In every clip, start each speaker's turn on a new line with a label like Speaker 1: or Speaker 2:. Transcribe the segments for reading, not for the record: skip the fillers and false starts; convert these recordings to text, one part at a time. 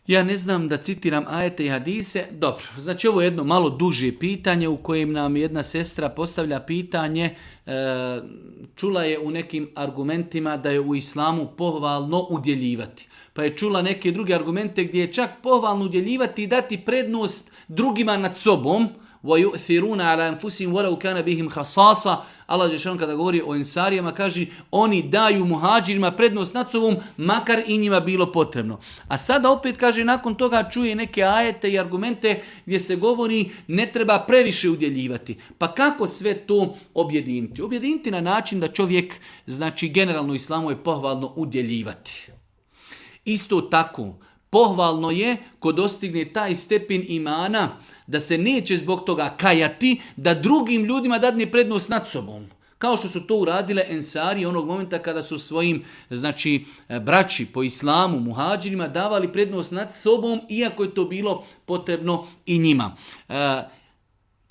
Speaker 1: Ja ne znam da citiram ajete i hadise. Dobro, znači ovo je jedno malo duže pitanje u kojem nam jedna sestra postavlja pitanje. Čula je u nekim argumentima da je u islamu pohvalno udjeljivati. Pa je čula neke druge argumente gdje je čak pohvalno udjeljivati i dati prednost drugima nad sobom. وَيُؤْثِرُونَ عَلَى أَنفُسِهِمْ وَلَوْ كَانَ بِهِمْ خَصَاصَ. Allah dželle kada govori o ensarijama kaže oni daju muhađirima prednost nad sobom makar i njima bilo potrebno. A sada opet kaže nakon toga čuje neke ajete i argumente gdje se govori ne treba previše udjeljivati. Pa kako sve to objediniti? Objediniti na način da čovjek, znači generalno u islamu je pohvalno udjeljivati. Isto tako, pohvalno je ko dostigne taj stepen imana da se neće zbog toga kajati, da drugim ljudima dadne prednost nad sobom. Kao što su to uradile ensari onog momenta kada su svojim, znači, braći po islamu, muhađirima, davali prednost nad sobom, iako je to bilo potrebno i njima.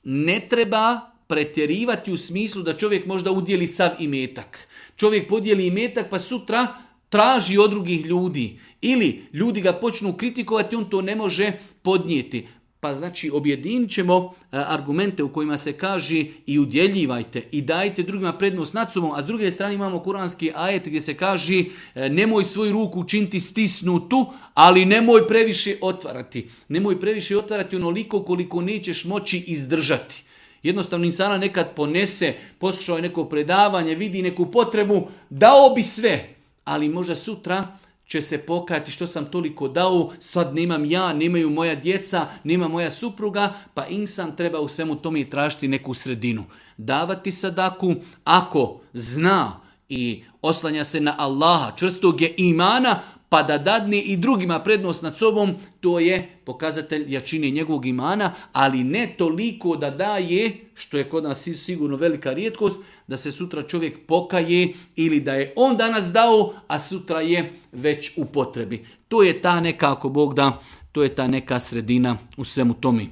Speaker 1: Ne treba pretjerivati u smislu da čovjek možda udjeli sav imetak. Čovjek podijeli imetak pa sutra traži od drugih ljudi. Ili ljudi ga počnu kritikovati, on to ne može podnijeti. Pa znači objedinit ćemo argumente u kojima se kaže i udjeljivajte i dajte drugima prednost nad sobom, a s druge strane imamo kuranski ajet gdje se kaže nemoj svoju ruku učiniti stisnutu, ali nemoj previše otvarati. Nemoj previše otvarati onoliko koliko nećeš moći izdržati. Jednostavno insana nekad ponese, poslušao je neko predavanje, vidi neku potrebu, dao bi sve, ali možda sutra će se pokajati što sam toliko dao, sad nemam ja, nemaju moja djeca, nema moja supruga, pa insan treba u svemu tome tražiti neku sredinu. Davati sadaku ako zna i oslanja se na Allaha, čvrstog je imana, pa da dadne i drugima prednost nad sobom, to je pokazatelj jačine njegovog imana, ali ne toliko da daje, što je kod nas sigurno velika rijetkost, da se sutra čovjek pokaje ili da je on danas dao, a sutra je već u potrebi. To je ta neka, ako Bog da, to je ta neka sredina u svemu tome.